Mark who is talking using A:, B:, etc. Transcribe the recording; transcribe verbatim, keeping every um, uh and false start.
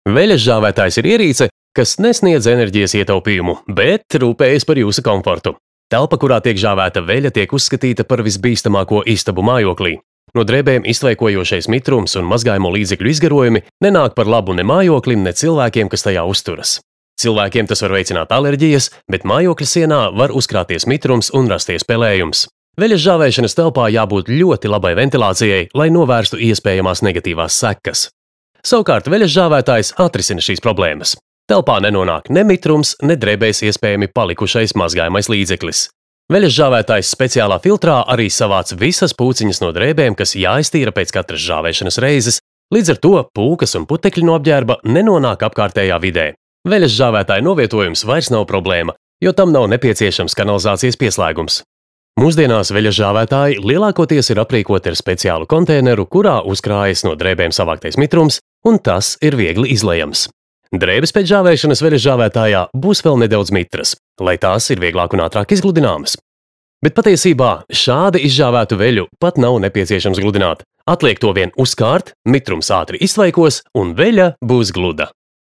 A: Veļas žāvētājs ir ierīce, kas nesniedz enerģijas ietaupījumu, bet rūpējas par jūsu komfortu. Telpa, kurā tiek žāvēta veļa, tiek uzskatīta par visbīstamāko istabu mājoklī. No drēbēm iztvaikojošais mitrums un mazgājumu līdzekļu izgarojumi nenāk par labu ne mājoklim, ne cilvēkiem, kas tajā uzturas. Cilvēkiem tas var veicināt alerģijas, bet mājokļa sienā var uzkrāties mitrums un rasties pelējums. Veļas žāvēšanas telpā jābūt ļoti labai ventilācijai, lai novērstu iespējamās negatīvās sekas. Savukārt veļas žāvētājs atrisina šīs problēmas. Telpā nenonāk ne mitrums, ne drēbēs iespējami palikušais mazgājamais līdzeklis. Veļas žāvētājs speciālā filtrā arī savāc visas pūciņas no drēbēm, kas jāiztīra pēc katras žāvēšanas reizes, līdz ar to pūkas un putekļi no apģērba nenonāk apkārtējā vidē. Veļas žāvētāja novietojums vairs nav problēma, jo tam nav nepieciešams kanalizācijas pieslēgums. Mūsdienās veļas žāvētāji lielākoties ir aprīkoti ar speciālu konteineru, kurā uzkrājas no drēbēm savāktais mitrums, un tas ir viegli izlejams. Drēbes pēc žāvēšanas veļas žāvētājā būs vēl nedaudz mitras, lai tās ir vieglāk un ātrāk izgludināmas. Bet patiesībā šādi izžāvētu veļu pat nav nepieciešams gludināt. Atliek to vien uzkārt, mitrums ātri iztvaikos un veļa būs gluda.